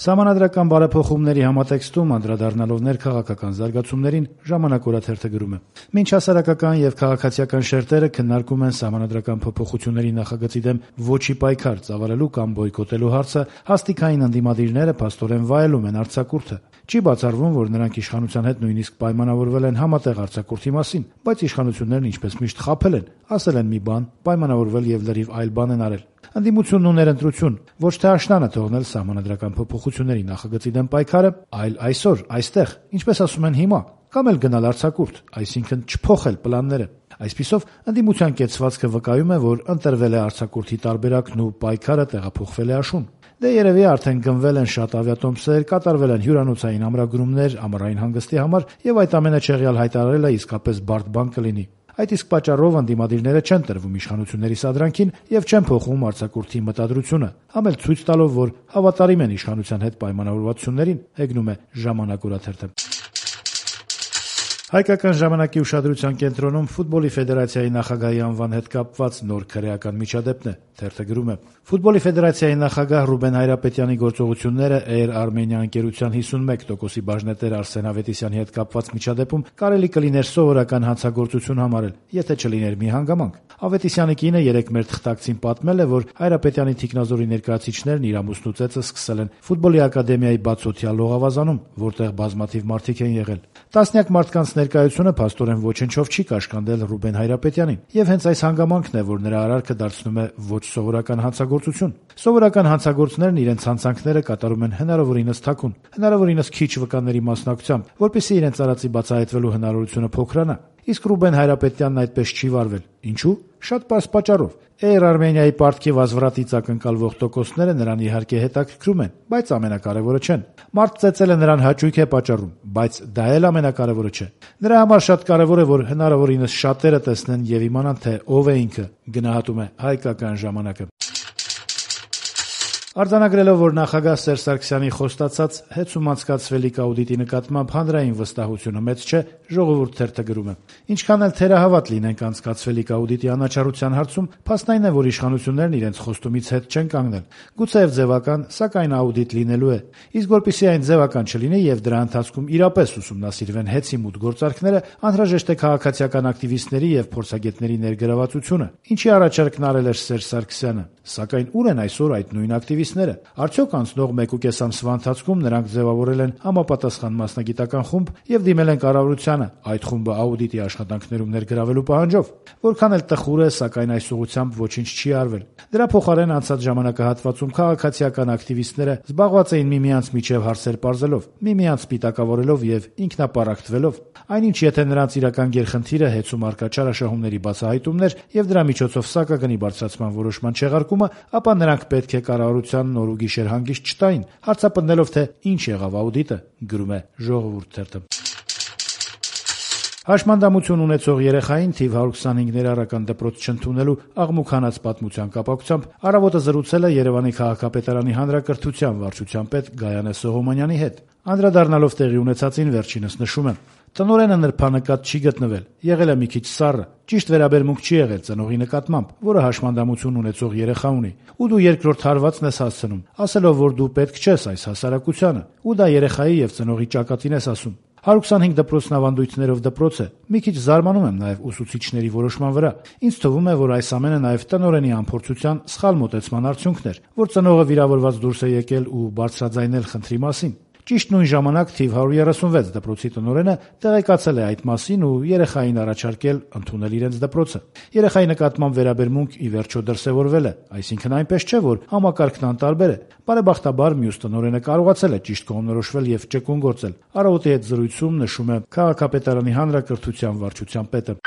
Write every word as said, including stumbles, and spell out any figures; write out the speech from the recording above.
Սահմանադրական բարեփոխումների համատեքստում անդրադառնալով ներքաղաքական զարգացումներին ժամանակ օրաթերթը գրում է. «Մինչ հասարակական եւ քաղաքացիական շերտերը քննարկում են սահմանադրական փոփոխությունների նախագծի դեմ ոչի պայքար ծավալելու կամ բոյկոտելու հարցը, հաստիքային ընդդիմադիրները փաստորեն վայելում են արձակուրդը։ Չի բացառվում, որ նրանք իշխանության հետ նույնիսկ պայմանավորվել են համատեղ արձակուրդի մասին, բայց իշխանություններն ինչպես միշտ խաբել են, ասել են մի բան, պայմանավորվել եւ լրիվ այլ բան են արել։ Ընդդիմությունն ու ներընտրություն ոչ թե աշնանը թողնել սահմանադրական փոփոխությունների նախագծի դեմ պայքարը, այլ այսօր, այստեղ, ինչպես ասում են հիմա, կամ էլ գնալ արձակուրդ, այսինքն չփոխել պլանները։ Այսպիսով, ընդդիմության կեցվածքը վկայում է, որ ընտրվել է արձակուրդի տարբերակն ու պայքարը տեղափոխվել է աշուն։ Դե երևի արդեն գնվել են շատ ավիատոմսեր, կատարվել են հյուրանոցային ամրագրումներ ամառային հանգստի համար եւ այդ ամենը չեղյալ հայտարարելը իսկապես բարդ բան կլինի։ Այդ իսկ պատճառով ընդդիմադիրները չեն տրվում իշխանությունների սադրանքին եւ չեն փոխում արձակուրդի մտադրությունը, համ էլ ցույց տալով, որ հավատարիմ են իշխանության հետ պայմանավորվածություններին, հեգնում է Ժամանակ օրաթերթը։ Հայկական ժամանակի ուշադրության կենտրոնում ֆուտբոլի ֆեդերացիայի նախագահի անվան հետ կապված նոր քրեական միջադեպն է, թերթը գրում է. Ֆուտբոլի ֆեդերացիայի նախագահ Ռուբեն Հայրապետյանի գործողությունները Air Armenia ընկերության հիսունմեկ տոկոսի բաժնետեր Արսեն Ավետիսյանի հետ կապված միջադեպում կարելի կլիներ սովորական հանցագործություն համարել, եթե չլիներ մի հանգամանք։ Ավետիսյանի կինը երեկ մեր թղթակցին պատմել է, որ Հայրապետյանի թիկնազորի ներկայացիչներն իր ամուսնու ծեծը սկսել են ֆուտբոլի ակադեմիայի բացօթյա լողավազանում, որտեղ բազմաթիվ մարդիկ են եղել։ Տասնյակ մարդկանց ներկայությունը փաստորեն ոչնչով չի կաշկանդել Ռուբեն Հայրապետյանին, եւ հենց այս հանգամանքն է, որ նրա արարքը դարձնում է ոչ սովորական հանցագործություն։ Սովորական հանցագործներն իրենց հանցանքները կատարում են հնարավորինս թաքուն, հնարավորինս քիչ վկաների մասնակցությամբ, որպեսզի իրենց արածի բացահայտվելու հնարավորությունը փոքրանա։ Իսկ Ռուբեն Հայրապետյանն այդպես չի վարվել։ Ինչու՞։ Շատ պարզ պատճառով։ Air Armenia-ի պարտքի վազվրատից ակնկալվող տոկոսները նրան իհարկե հետաքրքրում են, բայց ամենակարևորը չեն։ Մարդ ծեծելը նրան հաճույք է պատճառում, բայց դա էլ ամենակարևորը չէ։ Նրա համար շատ կարևոր է, որ հնարավորինս շատերը տեսնեն եւ իմանան, թե ով է ինքը, գնահատում է Հայկական ժամանակը։ Արձանագրելով, որ նախագահ Սերժ Սարգսյանի խոստացած հեծում անցկացվելիք աուդիտի նկատմամբ հանրային վստահությունը մեծ չէ, Ժողովուրդ թերթը գրում է. ինչքան էլ թերահավատ լինենք անցկացվելիք աուդիտի անաչառության հարցում, փաստային է, որ իշխանություններն իրենց խոստումից հետ չեն կանգնել։ Գուցեև ձևական, սակայն աուդիտ լինելու է։ Իսկ որպեսզի այն ձևական չլինի եւ դրա ընթացքում իրապես ուսումնասիրվեն հեծի մուտք գործարքները, անհրաժեշտ է քաղաքացիական ակտիվիստների եւ փորձագետների ներգրավվածությունը, ինչի առաջարկն արել էր Սերժ Սարգսյանը։ Սակայն ուր են այսօր այդ նույն ակտիվիստները։ Արդյոք անցնող մեկուկես ամսվա ընթացքում նրանք ձևավորել են համապատասխան մասնագիտական խումբ եւ դիմել են կառավարությանը այդ խումբը աուդիտի աշխատանքներում ներգրավելու պահանջով։ Որքան էլ տխուր է, սակայն այս ուղղությամբ ոչինչ չի արվել։ Դրա փոխարեն անցած ժամանակահատվածում քաղաքացիական ակտիվիստները զբաղված էին միմյանց միջև հարցեր պարզելով, միմյանց սպիտակավորելով եւ ինքնապարակտվելով։ Այնինչ եթե նրանց իրական գերխնդիրը հեծում արկա չարաշահումների բացահայտումն էր եւ դրա միջոցով սակագնի բարձրացման որոշման չեղարկումը, ապա նրանք պետք է կառավարության նոր ու գիշեր հանգիստ չտային, հարցապնդելով, թե ինչ եղավ աուդիտը, գրում է Ժողովուրդ թերթը։ Հաշմանդամություն ունեցող երեխային թիվ հարյուր քսանհինգ ներառական դպրոց չընդունելու աղմուկանաց պատմության կապակցությամբ Առավոտը զրուցել է Երևանի քաղաքապետարանի հանրակրթության վարչության պետ Գայանե Սողոմոնյանի հետ։ Անդրադառնալով տեղի ունեցածին վերջինս նշում է. տնօրենը նրբանկատ չի գտնվել, եղել է մի քիչ սառը, ճիշտ վերաբերմունք չի եղել ծնողի նկատմամբ, որը հաշմանդամություն ունեցող երեխա ունի, ու դու երկրորդ հարվածն ես հասցնում, ասելով, որ դու պետք չես այս հասարակությանը, ու դա երեխայի եւ ծնողի ճակատին ես ասում։ հարյուր քսանհինգ դպրոցն ավանդույթներով դպրոց է։ Մի քիչ զարմանում եմ նաև ուսուցիչների որոշման վրա։ Ինձ թվում է, որ այս ամենը նաև տնօրենի անփորձության սխալ մոտեցման արդյունքն էր, որ ծնողը վիրավորված դուրս է եկել ու բարձրաձայնել խնդրի մասին։ Ճիշտ նույն ժամանակ թիվ հարյուր երեսունվեց դպրոցի տնօրենը տեղեկացել է այդ մասին ու երեխային առաջարկել ընդունել իրենց դպրոցը։ Երեխայի նկատմամբ վերաբերմունք ի վերջո դրսևորվել է, այսինքն այնպես չէ, որ համակարգն անտարբեր է։ Բարեբախտաբար մյուս տնօրենը կարողացել է ճիշտ կողմնորոշվել եւ ճկուն գործել։ Առավոտի հետ զրույցում նշում է քաղաքապետարանի հանրակրթության վարչության պետը։